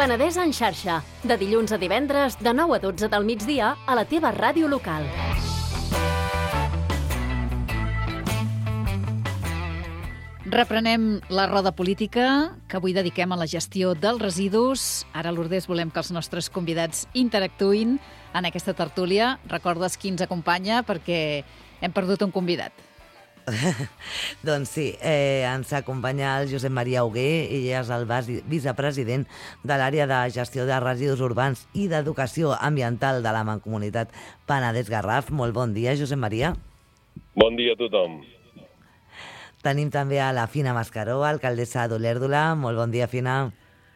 Penedès en xarxa, de dilluns a divendres, de 9 a 12 del migdia, a la teva ràdio local. Reprenem la roda política, que avui dediquem a la gestió dels residus. Ara, Lourdes, volem que els nostres convidats interactuïn en aquesta tertúlia. Recordes qui ens acompanya, perquè hem perdut un convidat. Doncs sí, ens acompanya el Josep Maria Hugué, ell és el vicepresident de l'àrea de gestió de residus urbans i d'educació ambiental de la Mancomunitat Penedès-Garraf. Molt bon dia, Josep Maria. Bon dia a tothom. Tenim també a la Fina Mascaró, alcaldessa d'Olèrdola. Molt bon dia, Fina.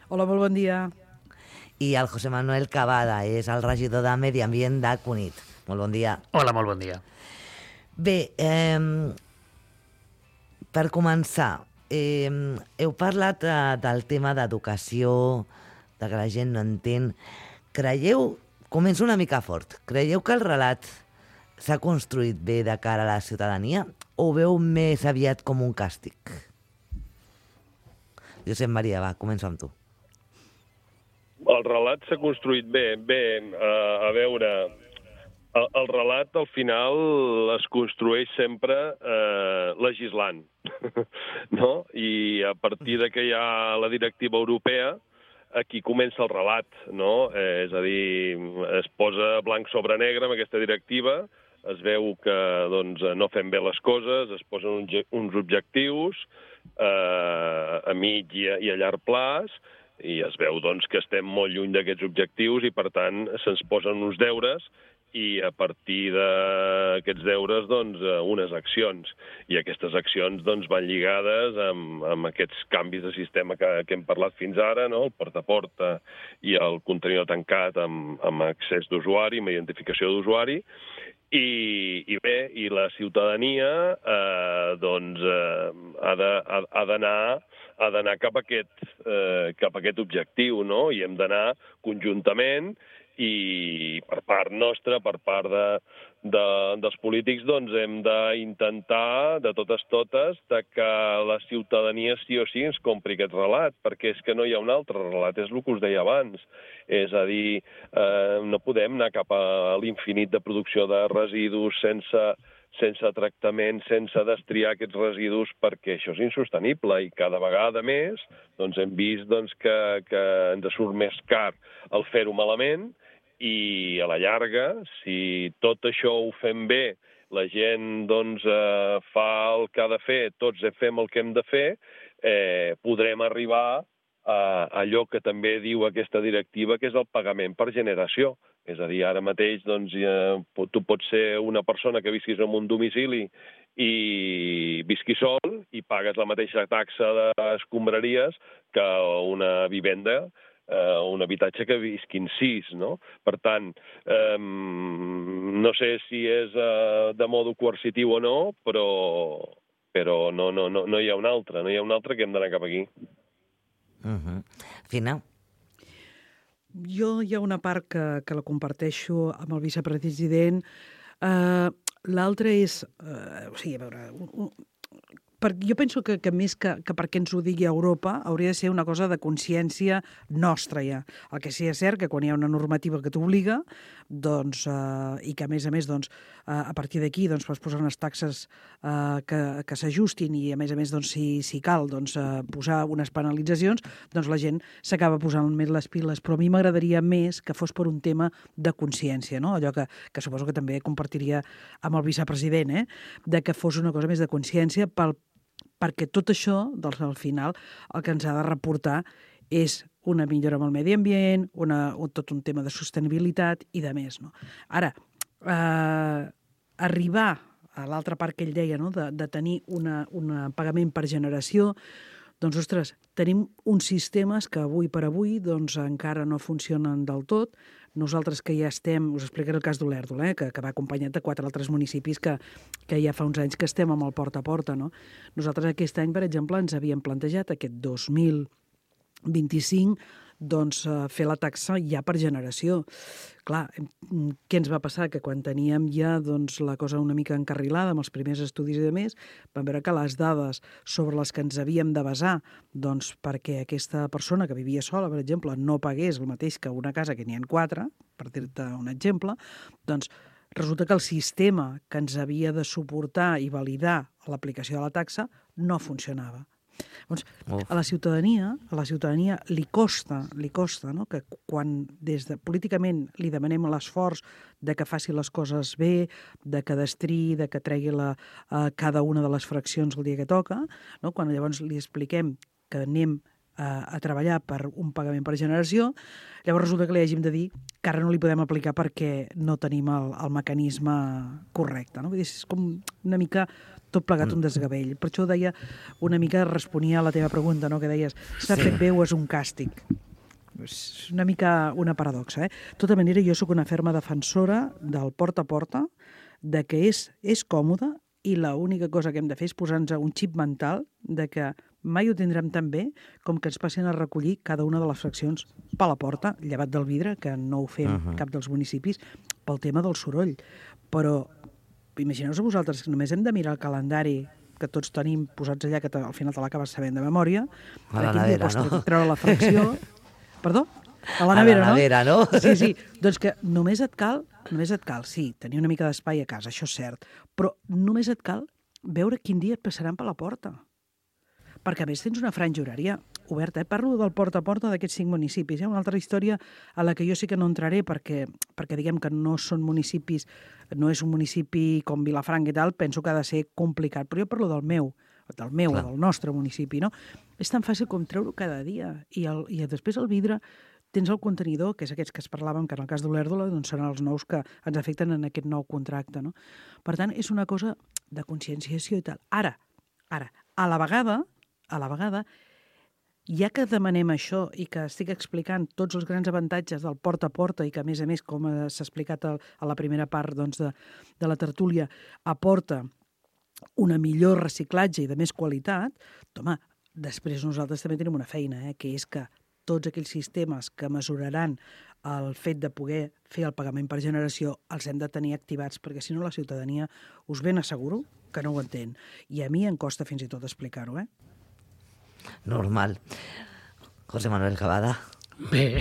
Hola, molt bon dia. I el José Manuel Cavada, és el regidor de Medi Ambient de Cunit. Molt bon dia. Hola, molt bon dia. Bé, per començar, heu parlat del tema d'educació, de que la gent no entén. Començo una mica fort, creieu que el relat s'ha construït bé de cara a la ciutadania o ho veu més aviat com un càstig? Josep Maria, va, comença amb tu. El relat s'ha construït bé. A veure, el relat al final es construeix sempre legislant, no? I a partir de que hi ha la directiva europea, aquí comença el relat, no? És a dir, es posa blanc sobre negre amb aquesta directiva, es veu que doncs, no fem bé les coses, es posen uns objectius a mig i a llarg plaç, i es veu doncs, que estem molt lluny d'aquests objectius i, per tant, se'ns posen uns deures i a partir d'aquests deures, doncs, unes accions. I aquestes accions doncs, van lligades amb aquests canvis de sistema que hem parlat fins ara, no? El porta a porta i el contenidor tancat amb accés d'usuari, amb identificació d'usuari. I bé, i la ciutadania doncs, ha d'anar cap a aquest objectiu, no? I hem d'anar conjuntament i per part nostra, per part dels polítics, doncs hem d'intentar, de totes, que la ciutadania sí o sí ens compri aquest relat, perquè és que no hi ha un altre relat, és el que us deia abans. És a dir, no podem anar cap a l'infinit de producció de residus sense tractament, sense destriar aquests residus, perquè això és insostenible i cada vegada més doncs, hem vist doncs, que ens surt més car el fer-ho malament i a la llarga, si tot això ho fem bé, la gent doncs, fa el que ha de fer, tots fem el que hem de fer, podrem arribar a allò que també diu aquesta directiva, que és el pagament per generació. És a dir, ara mateix doncs, tu pots ser una persona que visquis en un domicili i visquis sol i pagues la mateixa taxa d'escombraries que una vivenda, un habitatge que visquin 6, no? Per tant, no sé si és de modo coercitiu o no, però no hi ha un altre, que hem d'anar cap aquí. Fina? Jo hi ha una part que la comparteixo amb el vicepresident. L'altra és... a veure... Jo penso que més que perquè ens ho digui Europa, hauria de ser una cosa de consciència nostra ja. El que sí és cert que quan hi ha una normativa que t'obliga, doncs, i que a més, doncs, a partir d'aquí doncs, pots posar unes taxes que s'ajustin i a més, doncs, si cal doncs, posar unes penalitzacions, doncs la gent s'acaba posant més les piles. Però a mi m'agradaria més que fos per un tema de consciència, no? Allò que suposo que també compartiria amb el vicepresident, de que fos una cosa més de consciència perquè tot això, doncs, al final, el que ens ha de reportar és una millora amb el medi ambient, tot un tema de sostenibilitat i de més, no? Ara, arribar a l'altra part que ell deia, no? de tenir un pagament per generació, doncs, ostres, tenim uns sistemes que avui per avui doncs, encara no funcionen del tot. Nosaltres que ja estem, us explicaré el cas d'Olèrdola, que va acompanyat de 4 altres municipis que ja fa uns anys que estem amb el porta a porta, no? Nosaltres aquest any, per exemple, ens havíem plantejat aquest 2025 fer la taxa ja per generació. Clar, què ens va passar? Que quan teníem ja la cosa una mica encarrilada amb els primers estudis i demés, vam veure que les dades sobre les que ens havíem de basar perquè aquesta persona que vivia sola, per exemple, no pagués el mateix que una casa que n'hi ha 4, per dir-te un exemple, resulta que el sistema que ens havia de suportar i validar l'aplicació de la taxa no funcionava. Doncs, a la ciutadania li costa, no? Que quan políticament li demanem l'esforç de que faci les coses bé, de que destri, de que tregui cada una de les fraccions el dia que toca, no? Quan llavors li expliquem que anem a treballar per un pagament per generació, llavors resulta que li hàgim de dir que ara no li podem aplicar perquè no tenim el mecanisme correcte. No? Vull dir, és com una mica tot plegat un desgavell. Per això deia, una mica responia a la teva pregunta, no? Que deies, s'ha fet bé o és un càstig? És una mica una paradoxa. De tota manera, jo sóc una ferma defensora del porta a porta, de que és còmode i l'única cosa que hem de fer és posar-nos un xip mental de que mai ho tindrem tan bé com que ens passin a recollir cada una de les fraccions per la porta, llevat del vidre, que no ho fem cap dels municipis, pel tema del soroll. Però imagineu-vos vosaltres que només hem de mirar el calendari que tots tenim posats allà, que al final te l'acabes sabent de memòria. A la nevera, no? Treure la fracció... Perdó? A la nevera, no? Sí. Doncs que només et cal, sí, tenir una mica d'espai a casa, això és cert, però només et cal veure quin dia et passaran per la porta. Perquè a més tens una franja horària oberta. Parlo del porta a porta d'aquests 5 municipis. Una altra història a la que jo sí que no entraré perquè diguem que no són municipis, no és un municipi com Vilafranca i tal, penso que ha de ser complicat. Però jo parlo del meu o del nostre municipi, no? És tan fàcil com treure-ho cada dia. I després el vidre tens el contenidor, que és aquests que es parlaven, que en el cas d'Olèrdola seran els nous que ens afecten en aquest nou contracte, no? Per tant, és una cosa de conscienciació i tal. Ara, a la vegada, ja que demanem això i que estic explicant tots els grans avantatges del porta a porta i que, a més, com s'ha explicat a la primera part de la tertúlia, aporta una millor reciclatge i de més qualitat, home, després nosaltres també tenim una feina, que és que tots aquells sistemes que mesuraran el fet de poder fer el pagament per generació els hem de tenir activats, perquè si no la ciutadania us ben asseguro que no ho entén. I a mi em costa fins i tot explicar-ho, Normal. José Manuel Cavada. Bé,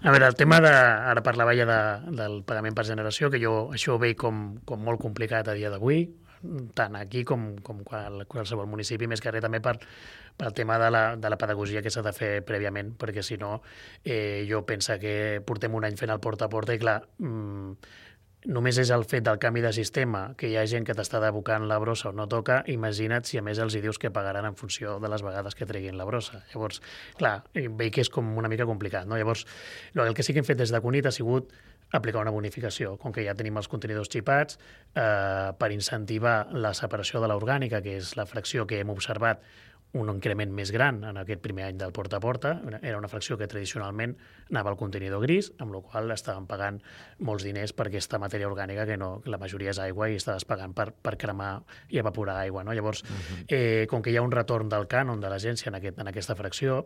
a veure, el tema ara parlava ja del pagament per generació, que jo això ho veig com molt complicat a dia d'avui, tant aquí com qualsevol municipi, més que res també pel tema de la pedagogia que s'ha de fer prèviament, perquè si no, jo penso que portem un any fent el porta a porta i clar, només és el fet del canvi de sistema, que hi ha gent que t'està devocant la brossa o no toca, imagina't si a més els hi dius que pagaran en funció de les vegades que treguin la brossa. Llavors, clar, veig que és com una mica complicat, no? Llavors, el que sí que hem fet des de CUNIT ha sigut aplicar una bonificació, com que ja tenim els contenidors xipats, per incentivar la separació de l'orgànica, que és la fracció que hem observat un increment més gran en aquest primer any del porta a porta. Era una fracció que tradicionalment anava al contenidor gris, amb la qual estaven pagant molts diners per aquesta matèria orgànica que no, la majoria és aigua i estaves pagant per cremar i evaporar aigua, no? Llavors, com que hi ha un retorn del cànon de l'agència en aquesta fracció,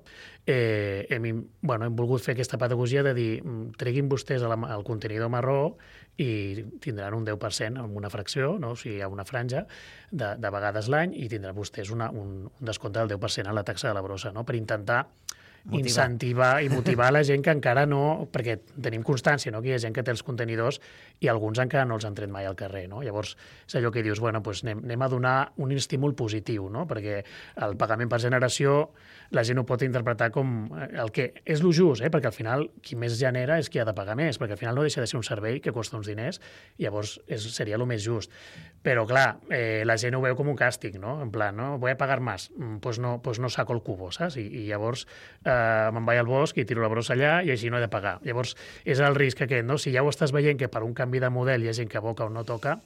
hem volgut fer aquesta pedagogia de dir treguin vostès el contenidor marró i tindran un 10% en una fracció, no? O sigui, hi ha una franja de vegades l'any i tindran vostès un descompte del 10% a la taxa de la brossa, no? Per intentar incentivar i motivar la gent que encara no... Perquè tenim constància, no?, que hi ha gent que té els contenidors i alguns encara no els han tret mai al carrer, no? Llavors, és allò que dius, anem a donar un estímul positiu, no? Perquè el pagament per generació la gent ho pot interpretar com el que és lo just, perquè al final qui més genera és qui ha de pagar més, perquè al final no deixa de ser un servei que costa uns diners, i llavors seria el més just. Però, clar, la gent ho veu com un càstig, no? En plan, no, voy a pagar más, pues no saco el cubo, saps? I llavors me'n vaig al bosc i tiro la brossa allà i així no he de pagar. Llavors, és el risc aquest, no? Si ja ho estàs veient que per un canvi de model hi ha gent que aboca o no toca,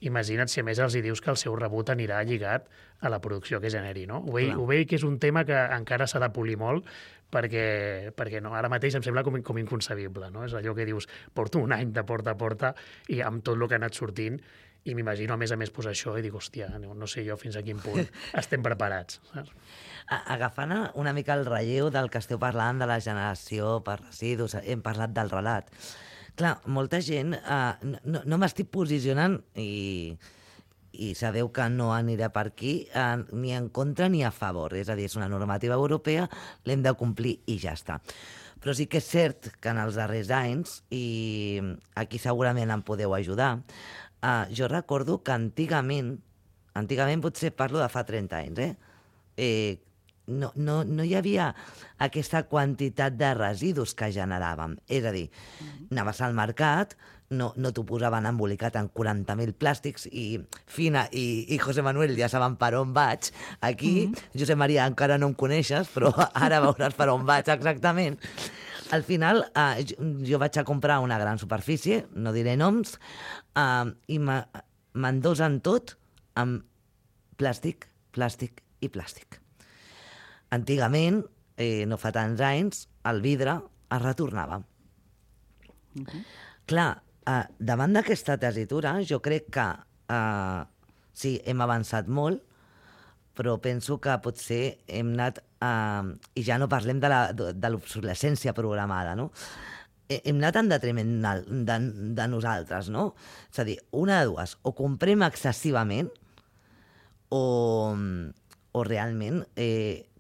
imagina't si a més els hi dius que el seu rebut anirà lligat a la producció que generi, no? Ho veig que és un tema que encara s'ha de polir molt perquè no, ara mateix em sembla com inconcebible, no? És allò que dius, porto un any de porta a porta i amb tot el que ha anat sortint I m'imagino, a més, posar això i dic, hòstia, no sé jo fins a quin punt estem preparats. Saps? Agafant una mica el relleu del que esteu parlant de la generació per residus, hem parlat del relat. Clar, molta gent, no m'estic posicionant i sabeu que no aniré per aquí ni en contra ni a favor. És a dir, és una normativa europea, l'hem de complir i ja està. Però sí que és cert que en els darrers anys, i aquí segurament em podeu ajudar, jo recordo que antigament potser parlo de fa 30 anys, no hi havia aquesta quantitat de residus que generàvem. És a dir, anaves al mercat, no t'ho posaven embolicat en 40.000 plàstics i Fina i José Manuel ja saben per on vaig. Aquí, Josep Maria, encara no em coneixes, però ara veuràs per on vaig exactament. Al final, jo vaig a comprar una gran superfície, no diré noms, i m'endosen tot amb plàstic, plàstic i plàstic. Antigament, no fa tants anys, el vidre es retornava. Clar, davant d'aquesta tessitura, jo crec que sí, hem avançat molt, però penso que potser hem anat, i ja no parlem de l'obsolescència programada, no? Hem anat en detriment de nosaltres, no? És a dir, una de dues, o comprem excessivament, o realment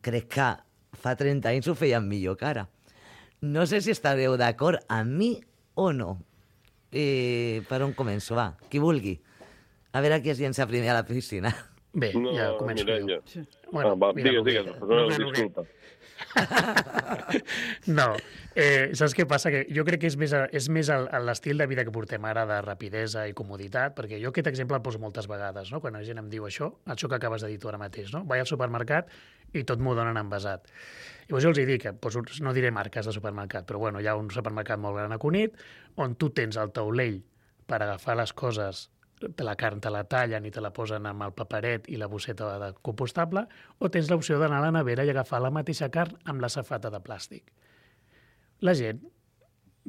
crec que fa 30 anys ho feien millor que ara. No sé si estareu d'acord amb mi o no. Per on començo? Va, qui vulgui. A veure qui es llença primer a la piscina. Bé, ja començo jo. Sí. Bueno, digues, disculpa. No, saps què passa? Que jo crec que és més l'estil de vida que portem ara de rapidesa i comoditat, perquè jo aquest exemple el poso moltes vegades, no? Quan la gent em diu això que acabes de dir tu ara mateix, no? Vaig al supermercat i tot m'ho donen envasat. Llavors jo els dic, no diré marques de supermercat, però bueno, hi ha un supermercat molt gran a Cunit on tu tens el taulell per agafar les coses, la carn te la tallen i te la posen amb el paperet i la bosseta de compostable, o tens l'opció d'anar a la nevera i agafar la mateixa carn amb la safata de plàstic. La gent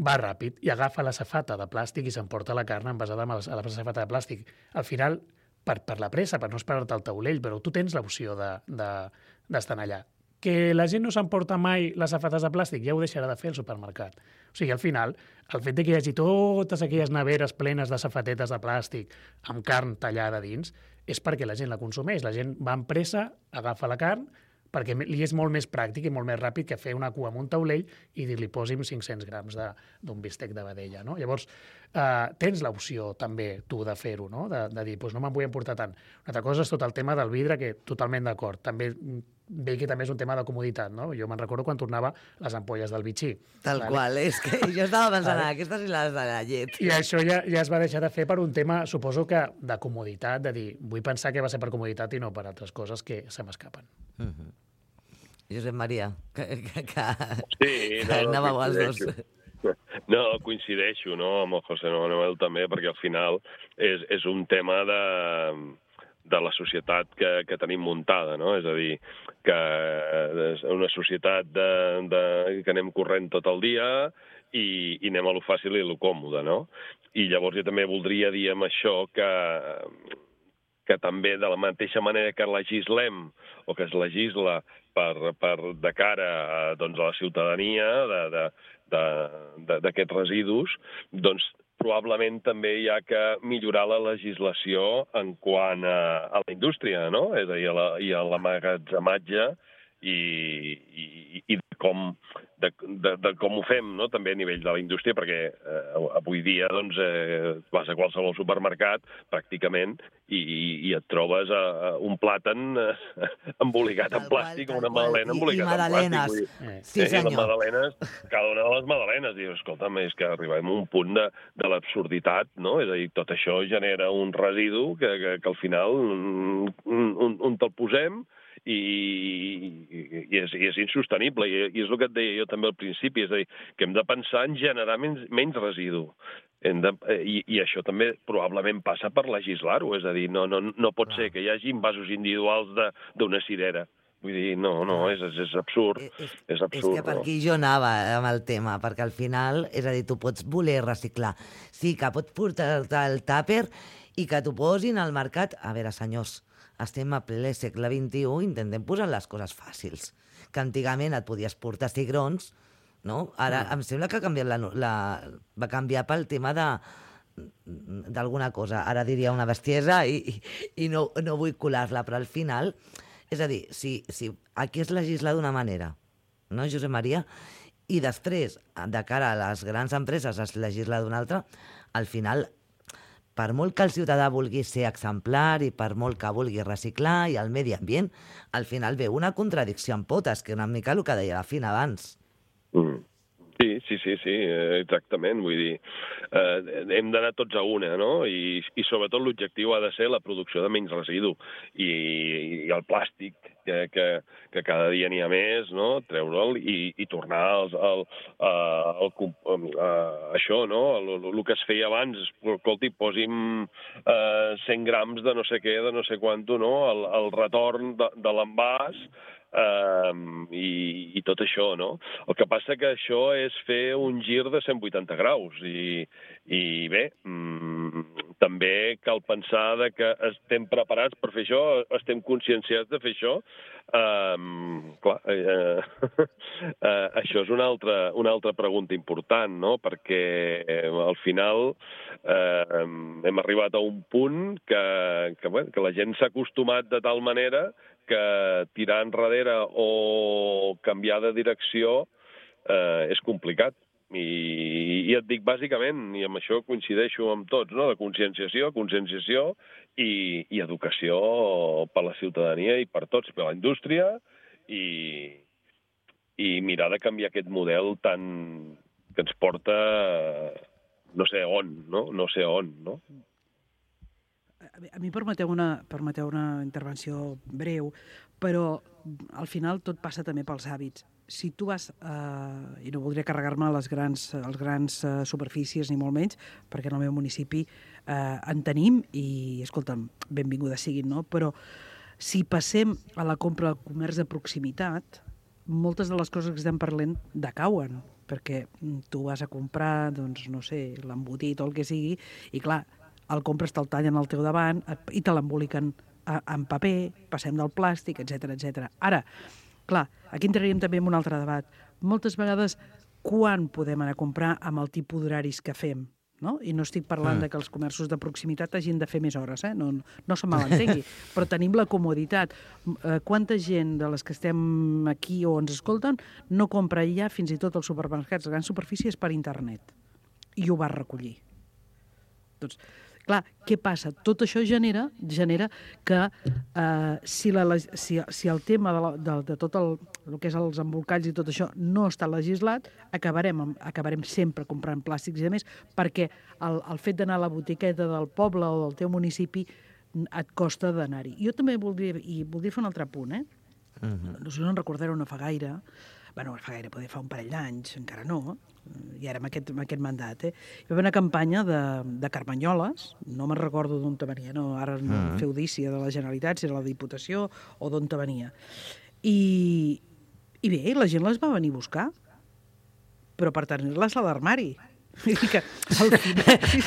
va ràpid i agafa la safata de plàstic i s'emporta la carn envasada amb la safata de plàstic. Al final, per la pressa, per no esperar-te al taulell, però tu tens l'opció d'estar allà. Que la gent no s'emporta mai les safates de plàstic, ja ho deixarà de fer el supermercat. O sigui, al final, el fet que hi hagi totes aquelles neveres plenes de safatetes de plàstic amb carn tallada dins és perquè la gent la consumeix. La gent va amb pressa, agafa la carn, perquè li és molt més pràctic i molt més ràpid que fer una cua amb un taulell i dir-li posi'm 500 grams d'un bistec de vedella, no? Llavors, tens l'opció també tu de fer-ho, no? De dir, doncs no me'n vull emportar tant. Una altra cosa és tot el tema del vidre, que totalment d'acord. També veig que també és un tema de comoditat, no? Jo me'n recordo quan tornava les ampolles del bitxí. Tal qual, és que jo estava pensant, aquestes i les de la llet. I això ja es va deixar de fer per un tema, suposo que de comoditat, de dir, vull pensar que va ser per comoditat i no per altres coses que se m'escapen. Josep Maria, sí, anàveu els dos. No, coincideixo, no, amb el José Manuel també, perquè al final és un tema de la societat que tenim muntada, no? És a dir, que és una societat que anem corrent tot el dia i anem a lo fàcil i a lo còmode, no? I llavors jo també voldria dir amb això que també de la mateixa manera que legislem o que es legisla de cara a la ciutadania d'aquests residus, doncs probablement també hi ha que millorar la legislació en quant a la indústria, no? És a dir, i a l'emmagatzematge i de com ho fem, no? També a nivell de la indústria, perquè avui dia vas a qualsevol supermercat pràcticament i et trobes un plàtan embolicat en plàstic o una magdalena embolicat en plàstic. Sí, senyor. Les magdalenes, cada una de les magdalenes, dius, escolta'm, és que arribem a un punt de l'absurditat, no? És a dir, tot això genera un residu que al final on te'l posem i és insostenible, i és el que et deia jo també al principi, és a dir, que hem de pensar en generar menys residu. I això també probablement passa per legislar-ho, és a dir, no pot ser que hi hagi envasos individuals d'una cirera. Vull dir, no, és absurd. És absurd. És que per aquí jo anava amb el tema, perquè al final, és a dir, tu pots voler reciclar. Sí, que pots portar-te el tàper i que t'ho posin al mercat. A veure, senyors, estem a ple segle XXI, intentem posar les coses fàcils. Que antigament et podies portar cigrons, no? Ara em sembla que ha canviat va canviar pel tema d'alguna cosa. Ara diria una bestiesa i no vull colar-la, però al final, és a dir, si aquí es legisla d'una manera, no, Josep Maria? I després, de cara a les grans empreses, es legisla d'una altra, al final, per molt que el ciutadà vulgui ser exemplar i per molt que vulgui reciclar i el medi ambient, al final ve una contradicció en potes, que una mica el que deia la Fina abans. Sí, exactament. Vull dir, hem d'anar tots a una, no? I sobretot l'objectiu ha de ser la producció de menys residu. I el plàstic, que cada dia n'hi ha més, no? Treure'l i tornar això, no? El que es feia abans, escolti, posi'm 100 grams de no sé què, de no sé quanto, no? El retorn de l'envàs, i tot això, no? El que passa que això és fer un gir de 180 graus i bé, també cal pensar que estem preparats per fer això, estem conscienciats de fer això. Clar, això és una altra pregunta important, no? Perquè al final hem arribat a un punt que la gent s'ha acostumat de tal manera que tirar enrere o canviar de direcció és complicat. I et dic, bàsicament, i amb això coincideixo amb tots, no? De conscienciació i educació per la ciutadania i per tots, per la indústria, i mirar de canviar aquest model tan que ens porta no sé on, no? A mi permeteu una intervenció breu, però al final tot passa també pels hàbits. Si tu vas, i no voldria carregar-me les grans superfícies ni molt menys, perquè en el meu municipi en tenim i, escolta'm, benvingudes siguin, no? Però si passem a la compra al comerç de proximitat, moltes de les coses que estem parlant decauen, perquè tu vas a comprar, doncs, no sé, l'embotit o el que sigui, i clar, el compres, te'l tallen al teu davant i te l'emboliquen en paper, passem del plàstic, etc. Ara, clar, aquí entraríem també en un altre debat. Moltes vegades, quan podem anar a comprar amb el tipus d'horaris que fem? No? I no estic parlant de que els comerços de proximitat hagin de fer més hores, no se malentengui, però tenim la comoditat. Quanta gent de les que estem aquí o ens escolten no compra ja fins i tot als supermercats, les grans superfícies, per internet, i ho va recollir. Doncs, clar, què passa? Tot això genera que si el tema de tot el que és els embolcalls i tot això no està legislat, acabarem sempre comprant plàstics i a més, perquè el fet d'anar a la botiqueta del poble o del teu municipi et costa d'anar-hi. Jo també voldria fer un altre punt, No sé si no en recordareu, no fa gaire, poder fa un parell d'anys, encara no, i ara amb aquest mandat, hi va haver una campanya de carmanyoles, no me'n recordo d'on te venia, no, ara no feu dícia de la Generalitat, si era la Diputació o d'on te venia. I bé, la gent les va venir a buscar, però per tenir-les a l'armari. Que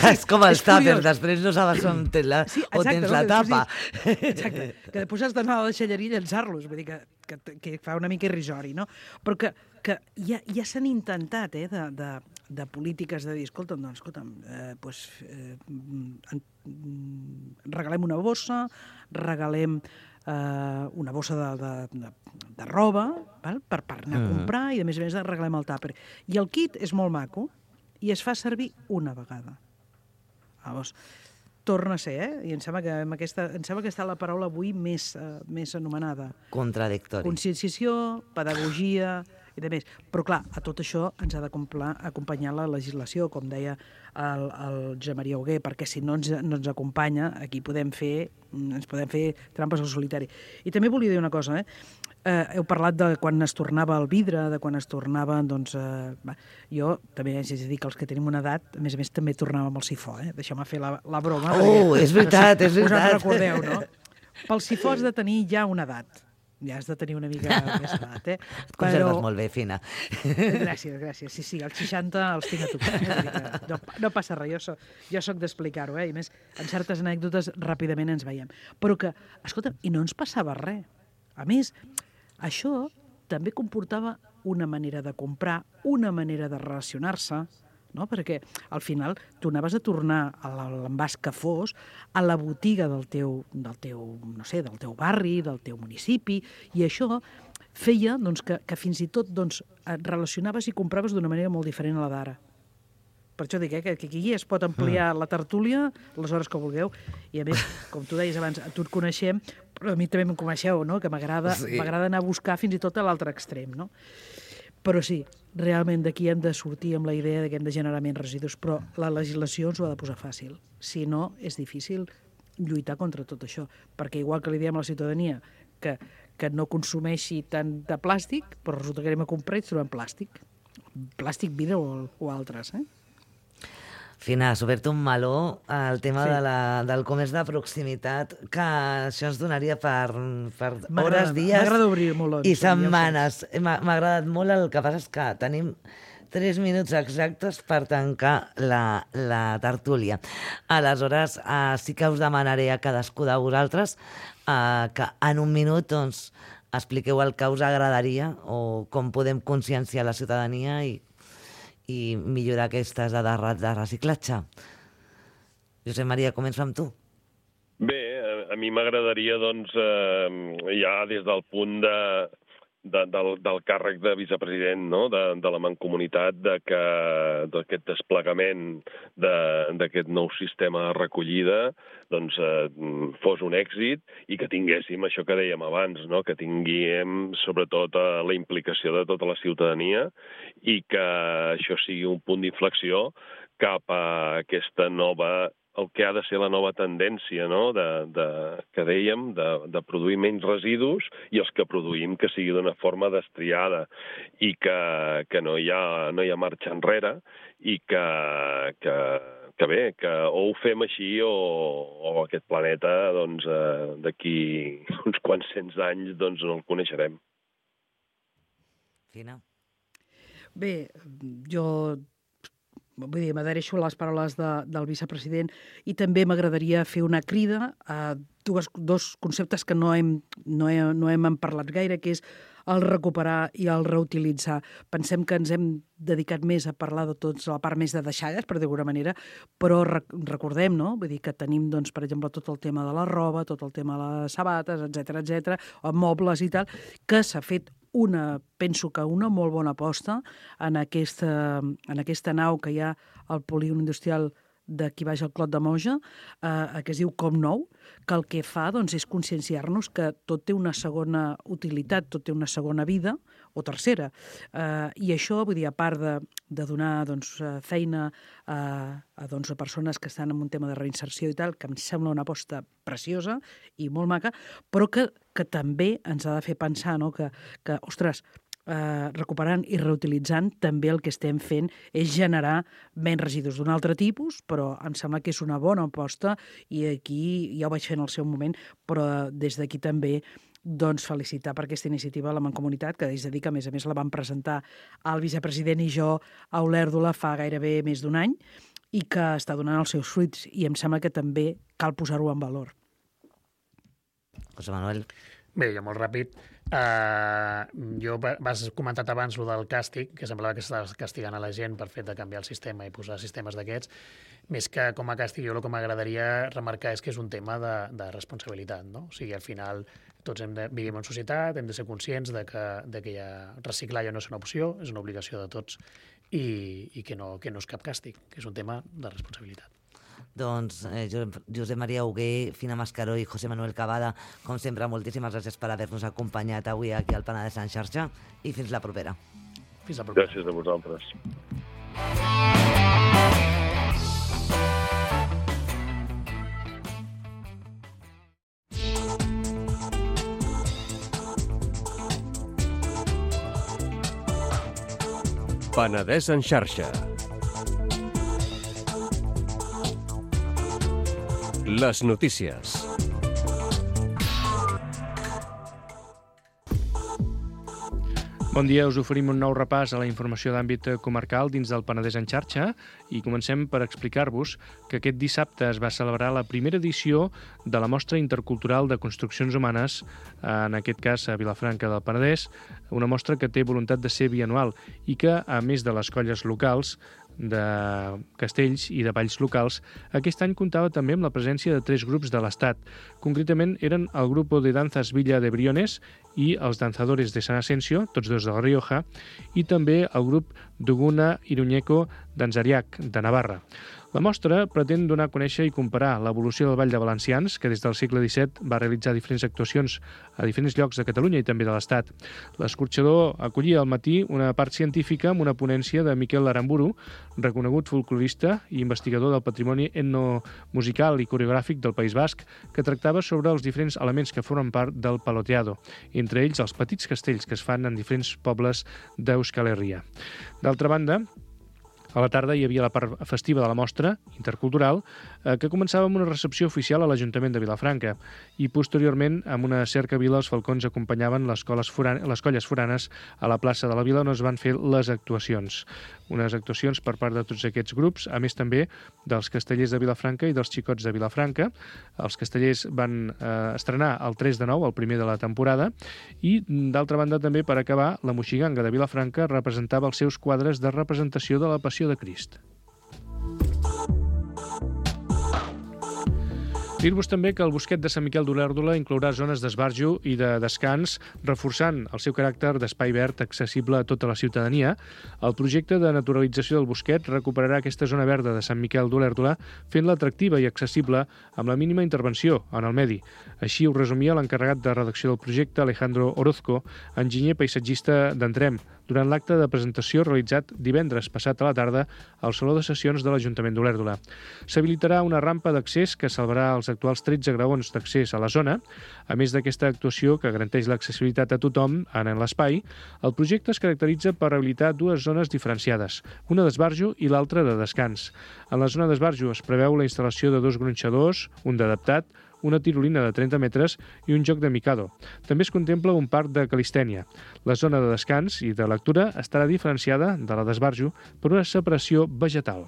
és com els tàpers, després no sabes on tens la tapa. Exacte, que després has d'anar a la deixalleria i llançar-los, vull dir que fa una mica irrisori, no? Però que ja s'han intentat, de polítiques de dir, escolta'm, regalem una bossa, regalem una bossa de roba, per anar a comprar, i a més regalem el tàper. I el kit és molt maco, i es fa servir una vegada. Llavors, torna a ser, i em sembla que està la paraula avui més anomenada. Contradictori. Conscienciació, pedagogia i de més. Però clar, a tot això ens ha d'acompanyar la legislació, com deia el Josep Maria Hugué, perquè si no ens acompanya, aquí ens podem fer trampes al solitari. I també volia dir una cosa, heu parlat de quan es tornava el vidre, de quan es tornava, doncs... jo també haig de dir que els que tenim una edat, a més també tornàvem al sifó, Deixeu-me fer la broma. Oh, és veritat. Us en recordeu, no? Pel sifó has de tenir ja una edat. Ja has de tenir una mica més edat, eh? Et conserves molt bé, Fina. Gràcies. Sí, els 60 els tinc a tocar. No passa res, jo soc d'explicar-ho, eh? I més, en certes anècdotes ràpidament ens veiem. Però que, escolta, i no ens passava res. A més, això també comportava una manera de comprar, una manera de relacionar-se, no? Perquè al final tu anaves a tornar a l'envàs que fos a la botiga del teu barri, del teu municipi, i això feia doncs, que fins i tot doncs, et relacionaves i compraves d'una manera molt diferent a la d'ara. Per això dic que aquí es pot ampliar la tertúlia les hores que vulgueu, i a més, com tu deies abans, a tu et coneixem, però a mi també em coneixeu, no? Que m'agrada anar a buscar fins i tot a l'altre extrem, no? Però sí, realment d'aquí hem de sortir amb la idea que hem de generar menys residus, però la legislació ens ho ha de posar fàcil. Si no, és difícil lluitar contra tot això, perquè igual que li diem a la ciutadania que no consumeixi tant de plàstic, però resulta que anem a comprar i trobem plàstic, vidre o altres, eh? Fina, has obert un meló al tema del comerç de proximitat, que això ens donaria per hores, dies m'agrada obrir molons, i setmanes. M'ha agradat molt, el que passa és que tenim 3 minuts exactes per tancar la tertúlia. Aleshores, sí que us demanaré a cadascú de vosaltres que en un minut doncs, expliqueu el que us agradaria o com podem conscienciar la ciutadania i millorar aquestes dades de reciclatge. Josep Maria, començo amb tu. Bé, a mi m'agradaria, doncs, ja des del punt del càrrec de vicepresident, no? de la Mancomunitat, d'aquest desplegament d'aquest nou sistema de recollida doncs, fos un èxit i que tinguéssim això que dèiem abans, no? Que tinguem sobretot la implicació de tota la ciutadania i que això sigui un punt d'inflexió cap a aquesta nova, el que ha de ser la nova tendència, no? Que dèiem, de produir menys residus i els que produïm que sigui d'una forma destriada i que no hi ha marxa enrere i que bé, que o ho fem així o aquest planeta doncs, d'aquí uns quants cents anys doncs, no el coneixerem. Fina. Bé, jo m'adhereixo a les paraules del vicepresident i també m'agradaria fer una crida a dos conceptes que no hem parlat gaire, que és el recuperar i el reutilitzar. Pensem que ens hem dedicat més a parlar de tots, a la part més de deixalles, per d'alguna manera, però recordem, no? Vull dir que tenim, doncs, per exemple, tot el tema de la roba, tot el tema de les sabates, etc, mobles i tal, que s'ha fet penso que una molt bona aposta en aquesta nau que hi ha al polígon industrial d'aquí baix al Clot de Moja, que es diu Com Nou, que el que fa doncs, és conscienciar-nos que tot té una segona utilitat, tot té una segona vida, o tercera. I això, vull dir, a part de donar doncs, feina a persones que estan en un tema de reinserció i tal, que em sembla una aposta preciosa i molt maca, però que també ens ha de fer pensar, no? que ostres, recuperant i reutilitzant, també el que estem fent és generar menys residus d'un altre tipus, però em sembla que és una bona aposta i aquí ja ho vaig fer en el seu moment, però des d'aquí també doncs felicitar per aquesta iniciativa a la Mancomunitat, que és a dir que a més la vam presentar el vicepresident i jo a Olèrdola fa gairebé més d'un any i que està donant els seus fruits i em sembla que també cal posar-ho en valor. José Manuel. Bé, jo molt ràpid. Jo vas comentat abans el del càstig, que semblava que estaves castigant a la gent per fet de canviar el sistema i posar sistemes d'aquests. Més que com a càstig, jo el que m'agradaria remarcar és que és un tema de responsabilitat, no? O sigui, al final tots vivim en societat, hem de ser conscients de que reciclar ja no és una opció, és una obligació de tots i que no és cap càstig, que és un tema de responsabilitat. Doncs Josep Maria Hugué, Fina Mascaró i José Manuel Cavada, com sempre, moltíssimes gràcies per haver-nos acompanyat avui aquí al Penedès en xarxa i fins la propera. Fins la propera. Gràcies a vosaltres. Penedès en xarxa. Les notícies. Bon dia, us oferim un nou repàs a la informació d'àmbit comarcal dins del Penedès en xarxa i comencem per explicar-vos que aquest dissabte es va celebrar la primera edició de la Mostra Intercultural de Construccions Humanes, en aquest cas a Vilafranca del Penedès, una mostra que té voluntat de ser bianual i que, a més de les colles locals, de castells i de balls locals, aquest any comptava també amb la presència de 3 grups de l'Estat. Concretament eren el Grupo de Danzas Villa de Briones i els Danzadores de San Asensio, tots dos de La Rioja, i també el grup Duguna Iruñeco d'Anzariac, de Navarra. La mostra pretén donar a conèixer i comparar l'evolució del Ball de Valencians, que des del segle XVII va realitzar diferents actuacions a diferents llocs de Catalunya i també de l'Estat. L'escorxador acollia al matí una part científica amb una ponència de Miquel Aramburu, reconegut folclorista i investigador del patrimoni etnomusical i coreogràfic del País Basc, que tractava sobre els diferents elements que formen part del paloteado, entre ells els petits castells que es fan en diferents pobles d'Euskal Herria. D'altra banda, a la tarda hi havia la part festiva de la mostra intercultural, que començava amb una recepció oficial a l'Ajuntament de Vilafranca i posteriorment amb una cercavila els falcons acompanyaven les colles foranes a la plaça de la Vila on es van fer les actuacions. Unes actuacions per part de tots aquests grups, a més també dels castellers de Vilafranca i dels xicots de Vilafranca. Els castellers van estrenar el 3 de 9, el primer de la temporada, i d'altra banda també per acabar, la Moixiganga de Vilafranca representava els seus quadres de representació de la Passió de Crist. Dir-vos també que el Bosquet de Sant Miquel d'Olèrdola inclourà zones d'esbarjo i de descans, reforçant el seu caràcter d'espai verd accessible a tota la ciutadania. El projecte de naturalització del Bosquet recuperarà aquesta zona verda de Sant Miquel d'Olèrdola, fent-la atractiva i accessible amb la mínima intervenció en el medi. Així ho resumia l'encarregat de redacció del projecte, Alejandro Orozco, enginyer paisatgista d'Entrem, durant l'acte de presentació realitzat divendres passat a la tarda al Saló de Sessions de l'Ajuntament d'Olèrdola. S'habilitarà una rampa d'accés que salvarà els actuals 13 graons d'accés a la zona. A més d'aquesta actuació que garanteix l'accessibilitat a tothom en l'espai, el projecte es caracteritza per habilitar 2 zones diferenciades, una d'esbarjo i l'altra de descans. En la zona d'esbarjo es preveu la instal·lació de 2 gronxadors, un d'adaptat, una tirolina de 30 metres i un joc de Mikado. També es contempla un parc de calistènia. La zona de descans i de lectura estarà diferenciada de la d'esbarjo per una separació vegetal.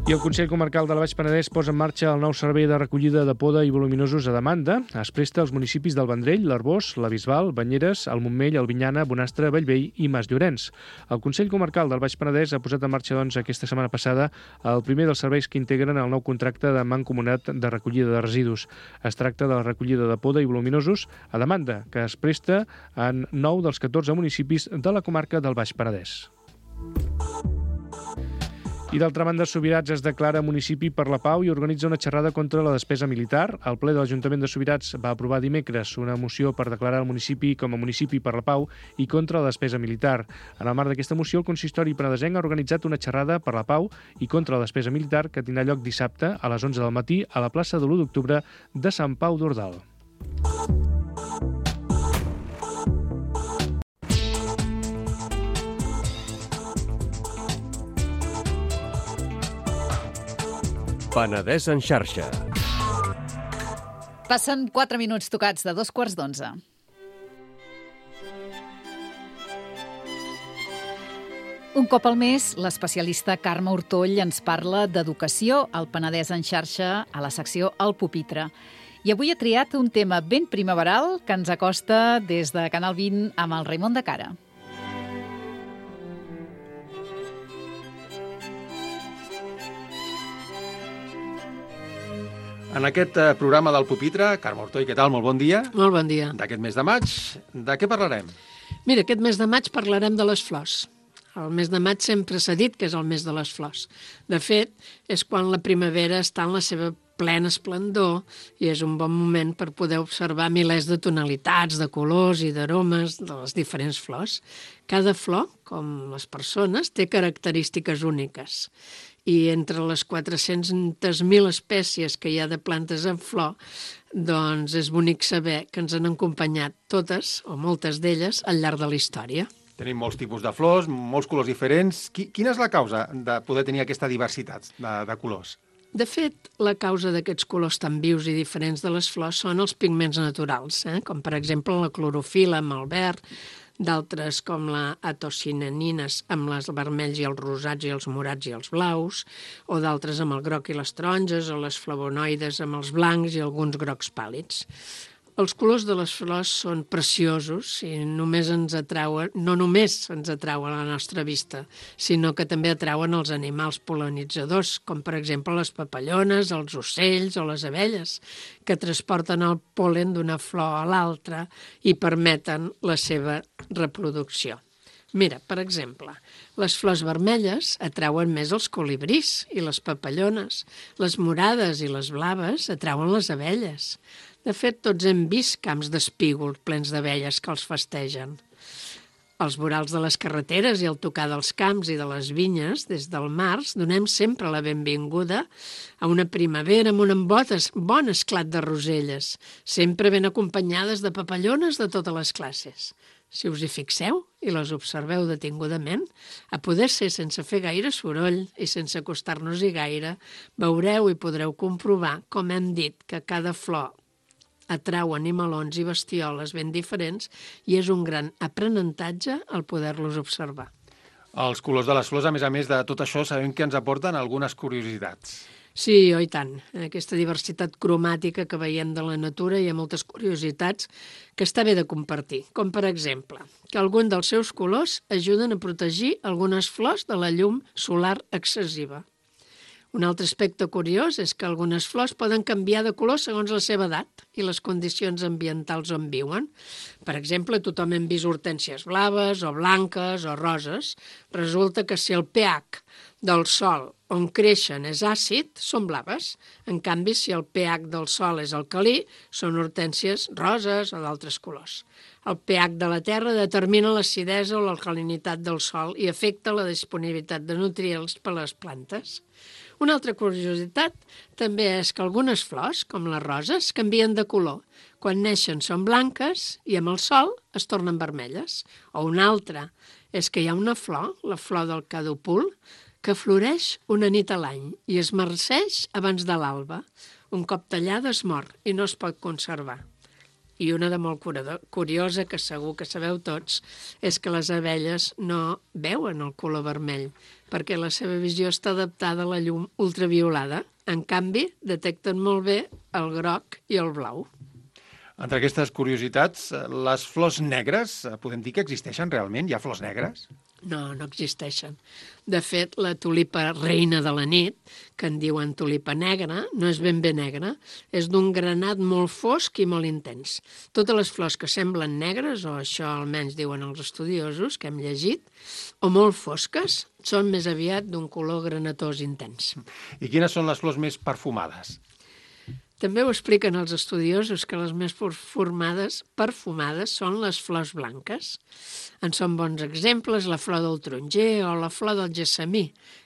I el Consell Comarcal de la Baix Penedès posa en marxa el nou servei de recollida de poda i voluminosos a demanda. Es presta als municipis del Vendrell, l'Arboç, la Bisbal, Banyeres, el Montmell, Albinyana, Bonastre, Bellvei i Mas Llorenç. El Consell Comarcal del Baix Penedès ha posat en marxa aquesta setmana passada el primer dels serveis que integren el nou contracte de mancomunat de recollida de residus. Es tracta de la recollida de poda i voluminosos a demanda, que es presta en 9 dels 14 municipis de la comarca del Baix Penedès. I d'altra banda, Subirats es declara municipi per la pau i organitza una xerrada contra la despesa militar. El ple de l'Ajuntament de Subirats va aprovar dimecres una moció per declarar el municipi com a municipi per la pau i contra la despesa militar. En el marc d'aquesta moció, el consistori penedesenc ha organitzat una xerrada per la pau i contra la despesa militar que tindrà lloc dissabte a les 11 del matí a la plaça de l'1 d'octubre de Sant Pau d'Ordal. Penedès en xarxa. Passen 4 minuts tocats de 11:15. Un cop al mes, l'especialista Carme Hortoll ens parla d'educació al Penedès en xarxa a la secció El Pupitre. I avui ha triat un tema ben primaveral que ens acosta des de Canal 20 amb el Raimon de Cara. En aquest programa del Pupitre, Carme Hortoll, què tal? Molt bon dia. Molt bon dia. D'aquest mes de maig, de què parlarem? Mira, aquest mes de maig parlarem de les flors. El mes de maig sempre s'ha dit que és el mes de les flors. De fet, és quan la primavera està en la seva plena esplendor i és un bon moment per poder observar milers de tonalitats, de colors i d'aromes de les diferents flors. Cada flor, com les persones, té característiques úniques. I entre les 400.000 espècies que hi ha de plantes en flor, doncs és bonic saber que ens han acompanyat totes, o moltes d'elles, al llarg de la història. Tenim molts tipus de flors, molts colors diferents. Quina és la causa de poder tenir aquesta diversitat de colors? De fet, la causa d'aquests colors tan vius i diferents de les flors són els pigments naturals, com per exemple la clorofil·la amb el verd, d'altres com la atocinanines amb els vermells i els rosats i els morats i els blaus, o d'altres amb el groc i les taronges, o les flavonoides amb els blancs i alguns grocs pàl·lids. Els colors de les flors són preciosos i no només ens atrauen a la nostra vista, sinó que també atrauen els animals pol·linitzadors, com per exemple les papallones, els ocells o les abelles, que transporten el pol·len d'una flor a l'altra i permeten la seva reproducció. Mira, per exemple, les flors vermelles atrauen més els colibrís i les papallones. Les morades i les blaves atrauen les abelles. De fet, tots hem vist camps d'espígols plens d'abelles que els festegen. Als vorals de les carreteres i al tocar dels camps i de les vinyes, des del març, donem sempre la benvinguda a una primavera amb un bon esclat de roselles, sempre ben acompanyades de papallones de totes les classes. Si us hi fixeu i les observeu detingudament, a poder ser sense fer gaire soroll i sense acostar-nos-hi gaire, veureu i podreu comprovar, com hem dit, que cada flor atrau animalons i bestioles ben diferents i és un gran aprenentatge el poder-los observar. Els colors de les flors, a més de tot això, sabem que ens aporten algunes curiositats. Sí, i tant. Aquesta diversitat cromàtica que veiem de la natura hi ha moltes curiositats que està bé de compartir, com per exemple, que algun dels seus colors ajuden a protegir algunes flors de la llum solar excessiva. Un altre aspecte curiós és que algunes flors poden canviar de color segons la seva edat i les condicions ambientals on viuen. Per exemple, tothom hem vist hortènsies blaves o blanques o roses. Resulta que si el pH del sòl on creixen és àcid, són blaves. En canvi, si el pH del sòl és alcalí, són hortènsies roses o d'altres colors. El pH de la terra determina l'acidesa o l'alcalinitat del sòl i afecta la disponibilitat de nutrients per a les plantes. Una altra curiositat també és que algunes flors, com les roses, canvien de color. Quan neixen són blanques i amb el sol es tornen vermelles. O una altra és que hi ha una flor, la flor del cadopul, que floreix una nit a l'any i es marceix abans de l'alba. Un cop tallada es mor i no es pot conservar. I una de molt curiosa, que segur que sabeu tots, és que les abelles no veuen el color vermell, perquè la seva visió està adaptada a la llum ultraviolada. En canvi, detecten molt bé el groc i el blau. Entre aquestes curiositats, les flors negres, podem dir que existeixen realment? Hi ha flors negres? No, no existeixen. De fet, la tulipa reina de la nit, que en diuen tulipa negra, no és ben bé negra, és d'un granat molt fosc i molt intens. Totes les flors que semblen negres, o això almenys diuen els estudiosos que hem llegit, o molt fosques, són més aviat d'un color granatós intens. I quines són les flors més perfumades? També ho expliquen els estudiosos que les més perfumades són les flors blanques. En són bons exemples la flor del taronger o la flor del gessamí,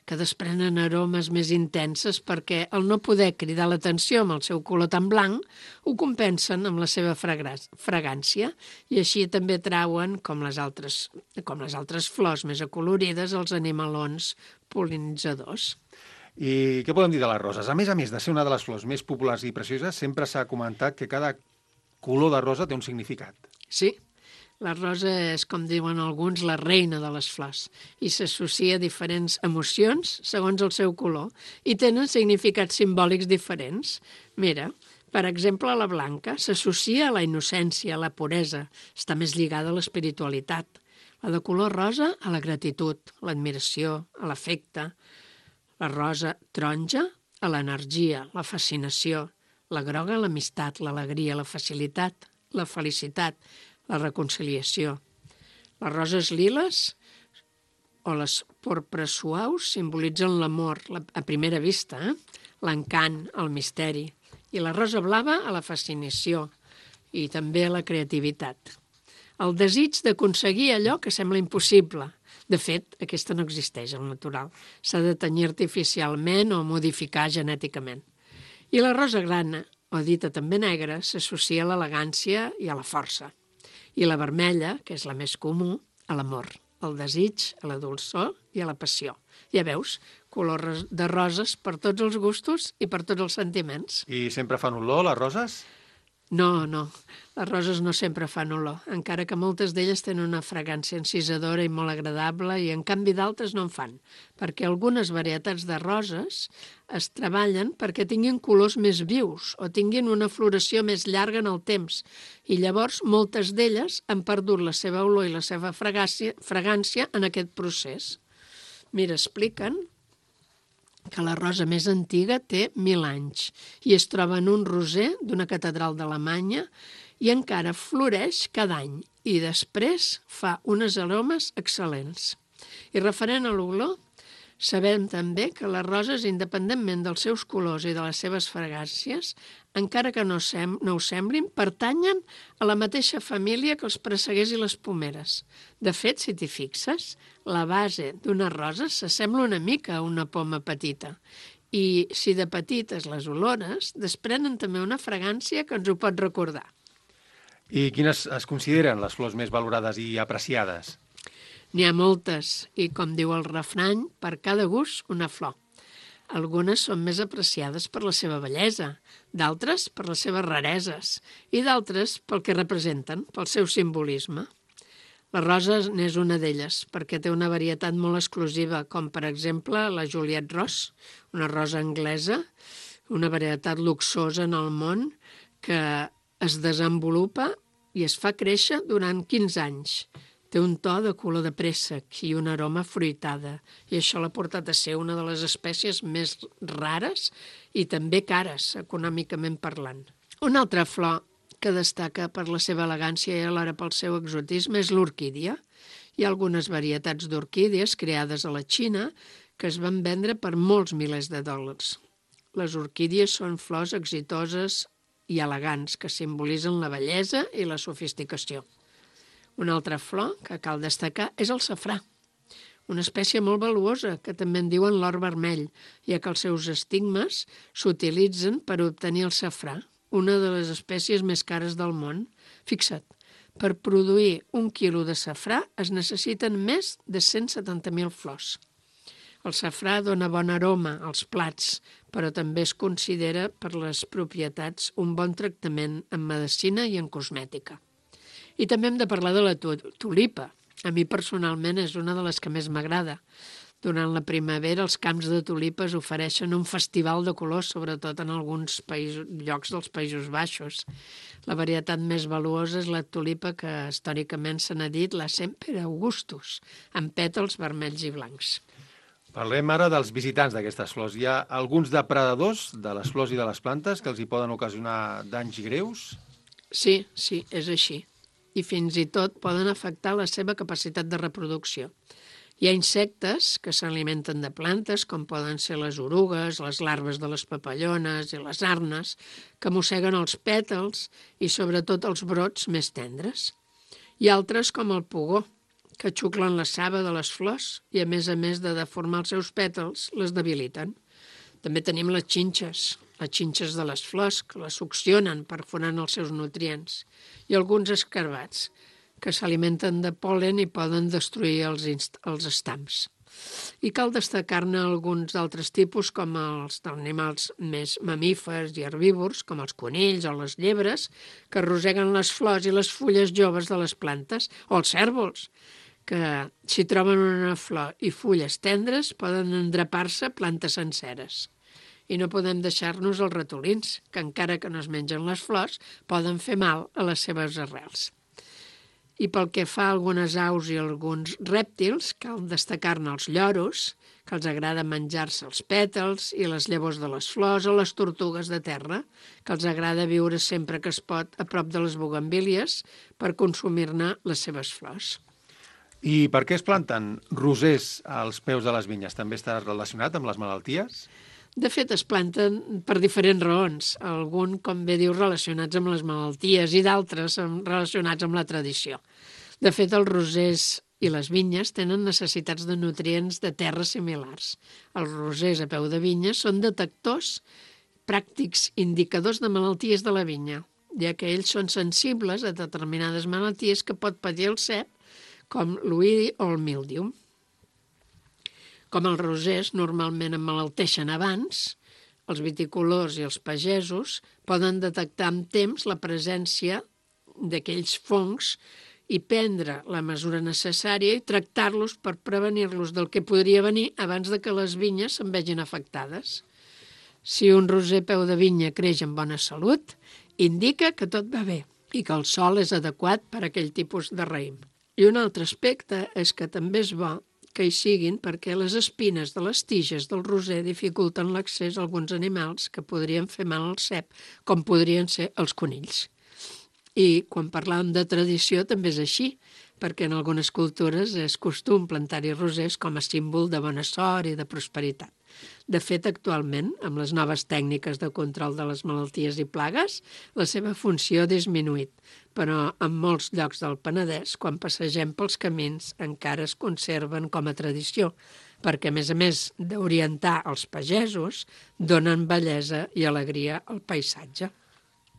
que desprenen aromes més intenses perquè, al no poder cridar l'atenció amb el seu color tan blanc, ho compensen amb la seva fragància i així també trauen, com les altres flors més acolorides, els animalons pol·linitzadors. I què podem dir de les roses? A més de ser una de les flors més populars i precioses, sempre s'ha comentat que cada color de rosa té un significat. Sí, la rosa és, com diuen alguns, la reina de les flors i s'associa a diferents emocions segons el seu color i tenen significats simbòlics diferents. Mira, per exemple, la blanca s'associa a la innocència, a la puresa, està més lligada a l'espiritualitat. La de color rosa, a la gratitud, a l'admiració, a l'afecte. La rosa taronja, a l'energia, la fascinació. La groga, a l'amistat, l'alegria, la facilitat, la felicitat, la reconciliació. Les roses liles o les porpres suaus simbolitzen l'amor a primera vista, l'encant, el misteri. I la rosa blava, a la fascinació i també a la creativitat. El desig d'aconseguir allò que sembla impossible. De fet, aquesta no existeix al natural. S'ha de tenyir artificialment o modificar genèticament. I la rosa grana, o dita també negra, s'associa a l'elegància i a la força. I la vermella, que és la més comú, a l'amor. al desig, a la dolçor i a la passió. Ja veus, color de roses per tots els gustos i per tots els sentiments. I sempre fan olor, les roses? No, les roses no sempre fan olor, encara que moltes d'elles tenen una fragància encisadora i molt agradable i en canvi d'altres no en fan, perquè algunes varietats de roses es treballen perquè tinguin colors més vius o tinguin una floració més llarga en el temps i llavors moltes d'elles han perdut la seva olor i la seva fragància en aquest procés. Mira, expliquen que la rosa més antiga té 1000 anys i es troba en un roser d'una catedral d'Alemanya i encara floreix cada any i després fa unes aromes excel·lents. I referent a l'olor, sabem també que les roses, independentment dels seus colors i de les seves fragàncies, encara que no ho semblin, pertanyen a la mateixa família que els presseguers i les pomeres. De fet, si t'hi fixes, la base d'una rosa s'assembla una mica a una poma petita. I si de petites les olores, desprenen també una fragància que ens ho pot recordar. I quines es consideren les flors més valorades i apreciades? N'hi ha moltes, i com diu el refrany, per cada gust una flor. Algunes són més apreciades per la seva bellesa, d'altres per les seves rareses i d'altres pel que representen, pel seu simbolisme. La rosa n'és una d'elles, perquè té una varietat molt exclusiva, com per exemple la Juliette Rose, una rosa anglesa, una varietat luxosa en el món que es desenvolupa i es fa créixer durant 15 anys. Té un to de color de préssec i una aroma fruitada, i això l'ha portat a ser una de les espècies més rares i també cares, econòmicament parlant. Una altra flor que destaca per la seva elegància i alhora pel seu exotisme és l'orquídia. Hi ha algunes varietats d'orquídies creades a la Xina que es van vendre per molts milers de dòlars. Les orquídies són flors exitoses i elegants que simbolitzen la bellesa i la sofisticació. Una altra flor que cal destacar és el safrà, una espècie molt valuosa que també en diuen l'or vermell, ja que els seus estigmes s'utilitzen per obtenir el safrà, una de les espècies més cares del món. Fixa't, per produir 1 quilo de safrà es necessiten més de 170.000 flors. El safrà dona bon aroma als plats, però també es considera per les propietats un bon tractament en medicina i en cosmètica. I també hem de parlar de la tulipa. A mi personalment és una de les que més m'agrada. Durant la primavera els camps de tulipes ofereixen un festival de colors, sobretot en alguns llocs dels Països Baixos. La varietat més valuosa és la tulipa que històricament se n'ha dit la Semper Augustus, amb pètals vermells i blancs. Parlem ara dels visitants d'aquestes flors. Hi ha alguns depredadors de les flors i de les plantes que els hi poden ocasionar danys greus? Sí, és així. I fins i tot poden afectar la seva capacitat de reproducció. Hi ha insectes que s'alimenten de plantes, com poden ser les orugues, les larves de les papallones i les arnes, que mosseguen els pètals i sobretot els brots més tendres. Hi ha altres com el pugó, que xuclen la saba de les flors i a més de deformar els seus pètals, les debiliten. També tenim les xinxes de les flors, que les succionen perforant els seus nutrients, i alguns escarabats, que s'alimenten de pol·len i poden destruir els estams. I cal destacar-ne alguns altres tipus, com els d'animals més mamífers i herbívors, com els conills o les llebres, que arrosseguen les flors i les fulles joves de les plantes, o els cérvols, que si troben una flor i fulles tendres poden endrapar-se plantes senceres. I no podem deixar-nos els ratolins, que encara que no es mengen les flors, poden fer mal a les seves arrels. I pel que fa a algunes aus i alguns rèptils, cal destacar-ne els lloros, que els agrada menjar-se els pètals i les llavors de les flors, o les tortugues de terra, que els agrada viure sempre que es pot a prop de les bugambílies per consumir-ne les seves flors. I per què es planten rosers als peus de les vinyes? També està relacionat amb les malalties? De fet, es planten per diferents raons, algun, com bé diu, relacionats amb les malalties i d'altres relacionats amb la tradició. De fet, els rosers i les vinyes tenen necessitats de nutrients de terra similars. Els rosers a peu de vinya són detectors pràctics indicadors de malalties de la vinya, ja que ells són sensibles a determinades malalties que pot patir el cep, com l'oïdi o el míldiu. Com els rosers normalment emmalalteixen abans, els viticultors i els pagesos poden detectar amb temps la presència d'aquells fongs i prendre la mesura necessària i tractar-los per prevenir-los del que podria venir abans de que les vinyes se'n vegin afectades. Si un roser peu de vinya creix en bona salut, indica que tot va bé i que el sòl és adequat per a aquell tipus de raïm. I un altre aspecte és que també és bo que hi siguin perquè les espines de les tiges del roser dificulten l'accés a alguns animals que podrien fer mal al cep, com podrien ser els conills. I quan parlàvem de tradició també és així, perquè en algunes cultures és costum plantar-hi rosers com a símbol de bona sort i de prosperitat. De fet, actualment, amb les noves tècniques de control de les malalties i plagues, la seva funció ha disminuït, però en molts llocs del Penedès, quan passegem pels camins, encara es conserven com a tradició, perquè, a més d'orientar els pagesos, donen bellesa i alegria al paisatge.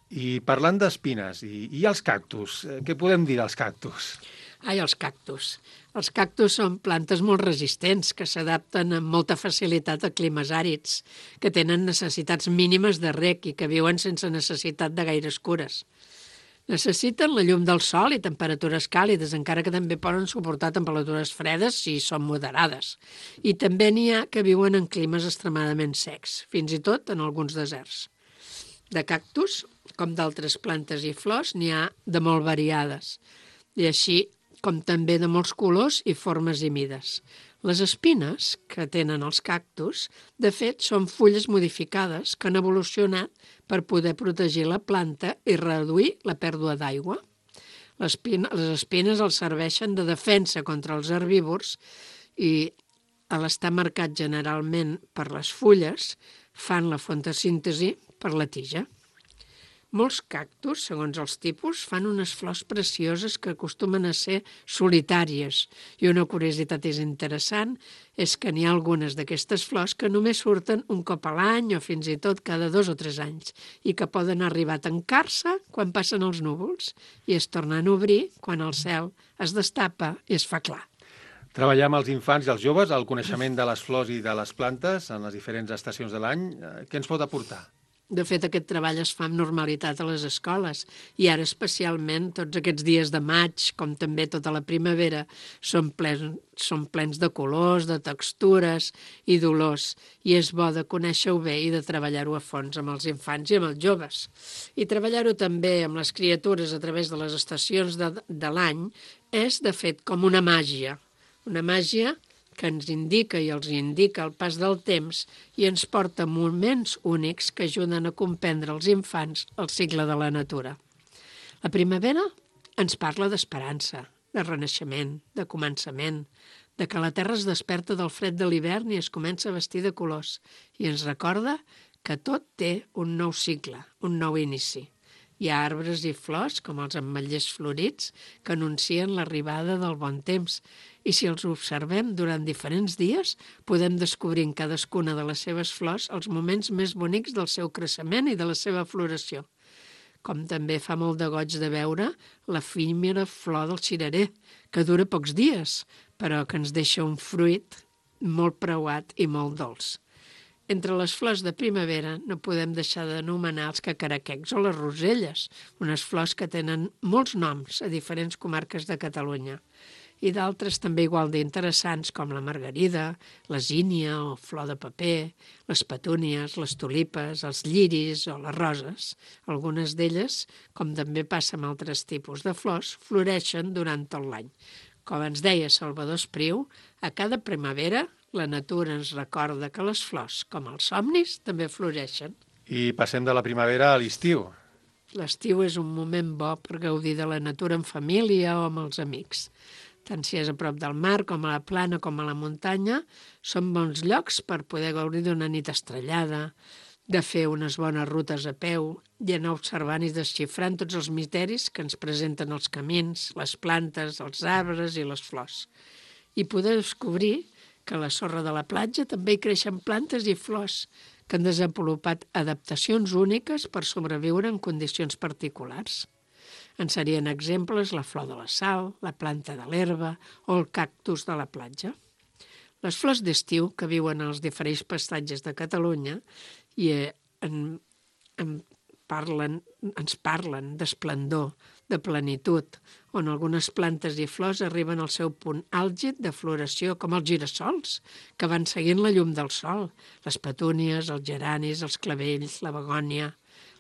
I parlant d'espines i els cactus, què podem dir dels cactus? Els cactus. Els cactus són plantes molt resistents que s'adapten amb molta facilitat a climes àrids, que tenen necessitats mínimes de reg i que viuen sense necessitat de gaires cures. Necessiten la llum del sol i temperatures càlides, encara que també poden suportar temperatures fredes si són moderades. I també n'hi ha que viuen en climes extremadament secs, fins i tot en alguns deserts. De cactus, com d'altres plantes i flors, n'hi ha de molt variades, i així com també de molts colors i formes i mides. Les espines que tenen els cactus, de fet, són fulles modificades que han evolucionat per poder protegir la planta i reduir la pèrdua d'aigua. Les espines els serveixen de defensa contra els herbívors i, a l'estar marcat generalment per les fulles, fan la fotosíntesi per la tija. Molts cactus, segons els tipus, fan unes flors precioses que acostumen a ser solitàries. I una curiositat interessant és que n'hi ha algunes d'aquestes flors que només surten un cop a l'any o fins i tot cada 2 o 3 anys i que poden arribar a tancar-se quan passen els núvols i es tornen a obrir quan el cel es destapa i es fa clar. Treballar amb els infants i els joves el coneixement de les flors i de les plantes en les diferents estacions de l'any, què ens pot aportar? De fet, aquest treball es fa amb normalitat a les escoles i ara especialment tots aquests dies de maig, com també tota la primavera, són plens de colors, de textures i d'olors i és bo de conèixer-ho bé i de treballar-ho a fons amb els infants i amb els joves. I treballar-ho també amb les criatures a través de les estacions de l'any és, de fet, com una màgia que ens indica i els indica el pas del temps i ens porta moments únics que ajuden a comprendre els infants el cicle de la natura. La primavera ens parla d'esperança, de renaixement, de començament, de que la terra es desperta del fred de l'hivern i es comença a vestir de colors i ens recorda que tot té un nou cicle, un nou inici. Hi ha arbres i flors, com els ametllers florits, que anuncien l'arribada del bon temps i si els observem durant diferents dies podem descobrir en cadascuna de les seves flors els moments més bonics del seu creixement i de la seva floració. Com també fa molt de goig de veure l'efímera flor del cirerer, que dura pocs dies, però que ens deixa un fruit molt preuat i molt dolç. Entre les flors de primavera no podem deixar d'anomenar els cacaraquecs o les roselles, unes flors que tenen molts noms a diferents comarques de Catalunya, i d'altres també igual d'interessants com la margarida, la zínia o flor de paper, les petúnies, les tulipes, els lliris o les roses. Algunes d'elles, com també passa amb altres tipus de flors, floreixen durant tot l'any. Com ens deia Salvador Espriu, a cada primavera la natura ens recorda que les flors, com els somnis, també floreixen. I passem de la primavera a l'estiu. L'estiu és un moment bo per gaudir de la natura en família o amb els amics. Tant si és a prop del mar, com a la plana, com a la muntanya, són bons llocs per poder gaudir d'una nit estrellada, de fer unes bones rutes a peu i anar observant i desxifrant tots els misteris que ens presenten els camins, les plantes, els arbres i les flors. I poder descobrir que a la sorra de la platja també hi creixen plantes i flors que han desenvolupat adaptacions úniques per sobreviure en condicions particulars. En serien exemples la flor de la sal, la planta de l'herba o el cactus de la platja. Les flors d'estiu, que viuen als diferents pastatges de Catalunya i ens parlen d'esplendor, de plenitud, on algunes plantes i flors arriben al seu punt àlgid de floració, com els girassols, que van seguint la llum del sol, les petúnies, els geranis, els clavells, la begònia,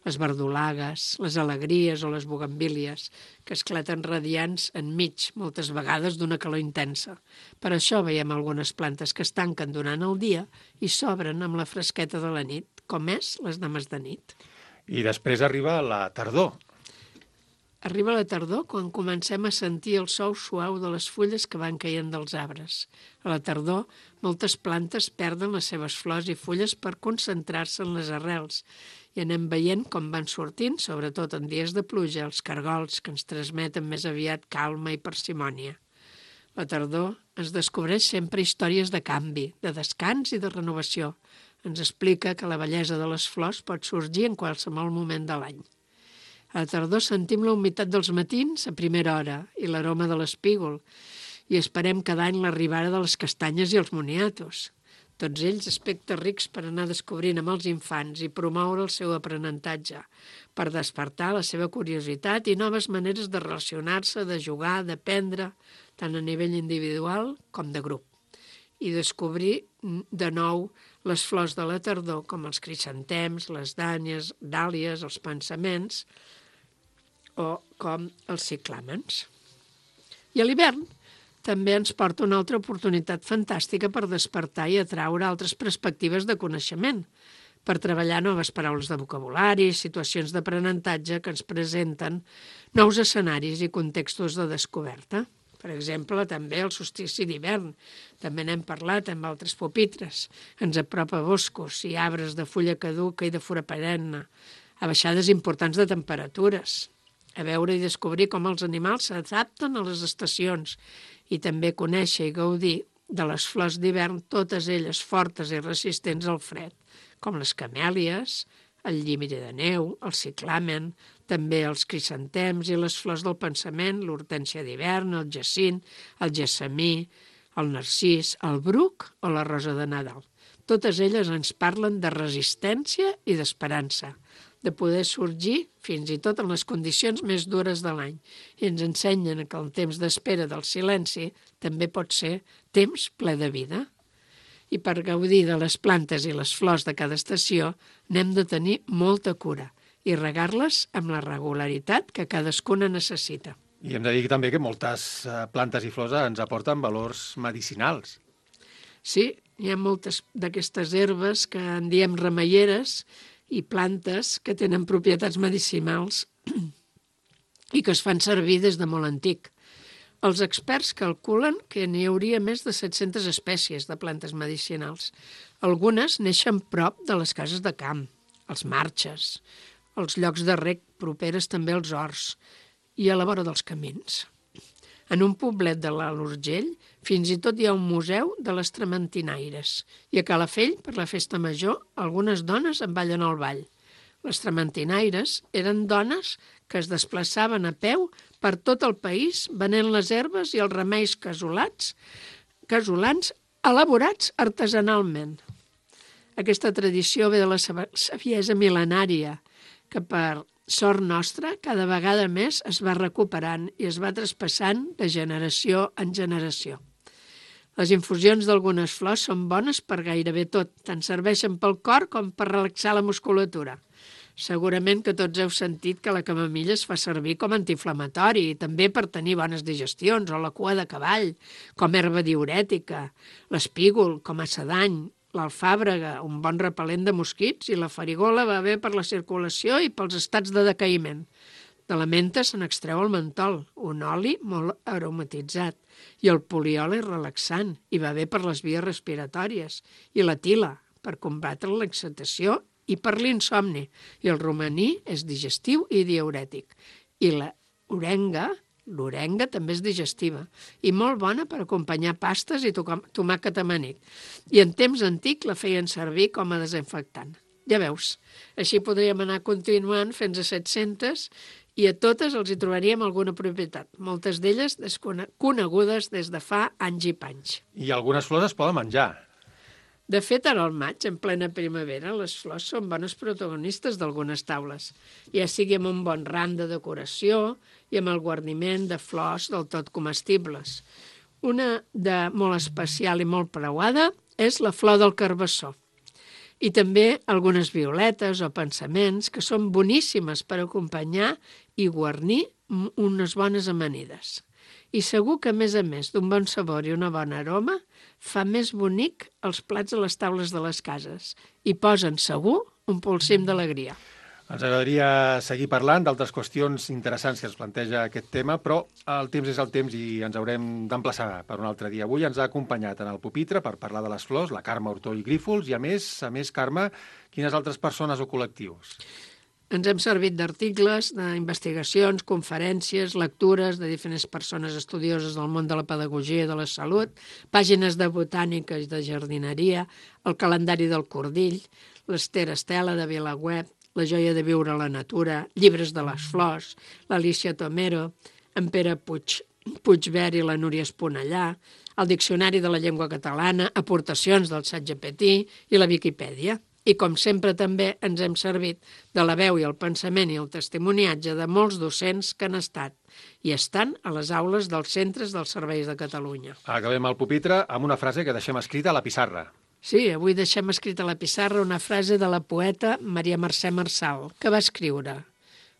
les verdolagues, les alegries o les bugambílies, que esclaten radiants enmig, moltes vegades d'una calor intensa. Per això veiem algunes plantes que es tanquen durant el dia i s'obren amb la fresqueta de la nit, com és les dames de nit. I després arriba la tardor. Arriba la tardor quan comencem a sentir el sou suau de les fulles que van caient dels arbres. A la tardor, moltes plantes perden les seves flors i fulles per concentrar-se en les arrels i anem veient com van sortint, sobretot en dies de pluja, els cargols que ens transmeten més aviat calma i parsimònia. La tardor ens descobreix sempre històries de canvi, de descans i de renovació. Ens explica que la bellesa de les flors pot sorgir en qualsevol moment de l'any. A la tardor sentim la humitat dels matins a primera hora i l'aroma de l'espígol i esperem cada any l'arribada de les castanyes i els moniatos. Tots ells aspectes rics per anar descobrint amb els infants i promoure el seu aprenentatge, per despertar la seva curiositat i noves maneres de relacionar-se, de jugar, d'aprendre, tant a nivell individual com de grup. I descobrir de nou les flors de la tardor, com els crisantems, les dàlies, els pensaments, o com els ciclàmens. I a l'hivern també ens porta una altra oportunitat fantàstica per despertar i atraure altres perspectives de coneixement, per treballar noves paraules de vocabulari, situacions d'aprenentatge que ens presenten nous escenaris i contextos de descoberta. Per exemple, també el solstici d'hivern. També n'hem parlat amb altres pupitres. Ens apropa boscos i arbres de fulla caduca i de fura perenne, a baixades importants de temperatures, a veure i descobrir com els animals s'adapten a les estacions i també conèixer i gaudir de les flors d'hivern, totes elles fortes i resistents al fred, com les camèlies, el llimiri de neu, el ciclamen, també els crisantems i les flors del pensament, l'hortènsia d'hivern, el jacint, el gessamí, el narcís, el bruc o la rosa de Nadal. Totes elles ens parlen de resistència i d'esperança, de poder sorgir fins i tot en les condicions més dures de l'any i ens ensenyen que el temps d'espera del silenci també pot ser temps ple de vida. I per gaudir de les plantes i les flors de cada estació n'hem de tenir molta cura i regar-les amb la regularitat que cadascuna necessita. I hem de dir també que moltes plantes i flors ens aporten valors medicinals. Sí, hi ha moltes d'aquestes herbes que en diem remeieres i plantes que tenen propietats medicinals i que es fan servir des de molt antic. Els experts calculen que n'hi hauria més de 700 espècies de plantes medicinals. Algunes neixen prop de les cases de camp, els marges, els llocs de rec properes també als horts i a la vora dels camins. En un poblet de l'Alt Urgell fins i tot hi ha un museu de les trementinaires i a Calafell, per la festa major, algunes dones en ballen al ball. Les trementinaires eren dones que es desplaçaven a peu per tot el país venent les herbes i els remeis casolans elaborats artesanalment. Aquesta tradició ve de la saviesa mil·lenària que per sort nostra, cada vegada més es va recuperant i es va traspassant de generació en generació. Les infusions d'algunes flors són bones per gairebé tot, tant serveixen pel cor com per relaxar la musculatura. Segurament que tots heu sentit que la camamilla es fa servir com antiinflamatori i també per tenir bones digestions, o la cua de cavall, com herba diürètica, l'espígol com a sedany, l'alfàbrega, un bon repel·lent de mosquits, i la farigola va bé per la circulació i pels estats de decaïment. De la menta se n'extreu el mentol, un oli molt aromatitzat, i el poliol és relaxant i va bé per les vies respiratòries, i la tila, per combatre l'excitació i per l'insomni, i el romaní és digestiu i diürètic, i l'orenga també és digestiva i molt bona per acompanyar pastes i tomàquet amanit. I en temps antic la feien servir com a desinfectant. Ja veus, així podríem anar continuant fins a 700 i a totes els hi trobaríem alguna propietat, moltes d'elles conegudes des de fa anys i panys. I algunes flors es poden menjar. De fet, ara al maig, en plena primavera, les flors són bones protagonistes d'algunes taules, ja sigui amb un bon ram de decoració i amb el guarniment de flors del tot comestibles. Una de molt especial i molt preuada és la flor del carbassó. I també algunes violetes o pensaments que són boníssimes per acompanyar i guarnir unes bones amanides. I segur que, a més d'un bon sabor i una bona aroma, fa més bonic els plats a les taules de les cases i posen, segur, un polsim d'alegria. Ens agradaria seguir parlant d'altres qüestions interessants que ens planteja aquest tema, però el temps és el temps i ens haurem d'emplaçar per un altre dia. Avui ens ha acompanyat en el pupitre per parlar de les flors la Carme Hurtó i Grífols i, a més, Carme, quines altres persones o col·lectius? Ens hem servit d'articles, d'investigacions, conferències, lectures de diferents persones estudioses del món de la pedagogia i de la salut, pàgines de botànica i de jardineria, el calendari del Cordill, l'Ester Estela de Vilaweb, La joia de viure a la natura, llibres de les flors, l'Alicia Tomero, en Pere Puigvert i la Núria Esponellà, el Diccionari de la Llengua Catalana, aportacions del ChatGPT i la Viquipèdia. I, com sempre, també ens hem servit de la veu i el pensament i el testimoniatge de molts docents que han estat i estan a les aules dels centres dels serveis de Catalunya. Acabem el pupitre amb una frase que deixem escrita a la pissarra. Sí, avui deixem escrita a la pissarra una frase de la poeta Maria Mercè Marçal, que va escriure: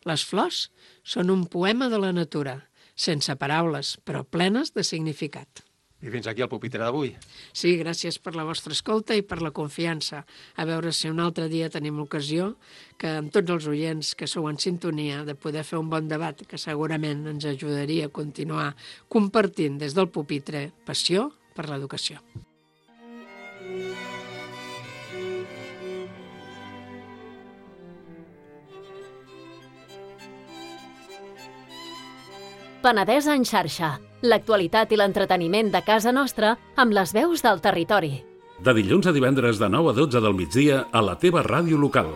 «Les flors són un poema de la natura, sense paraules, però plenes de significat». I fins aquí el pupitre d'avui. Sí, gràcies per la vostra escolta i per la confiança. A veure si un altre dia tenim l'ocasió que amb tots els oients que sou en sintonia de poder fer un bon debat que segurament ens ajudaria a continuar compartint des del pupitre passió per l'educació. Penedès en xarxa. L'actualitat i l'entreteniment de casa nostra amb les veus del territori. De dilluns a divendres de 9 a 12 del migdia a la teva ràdio local.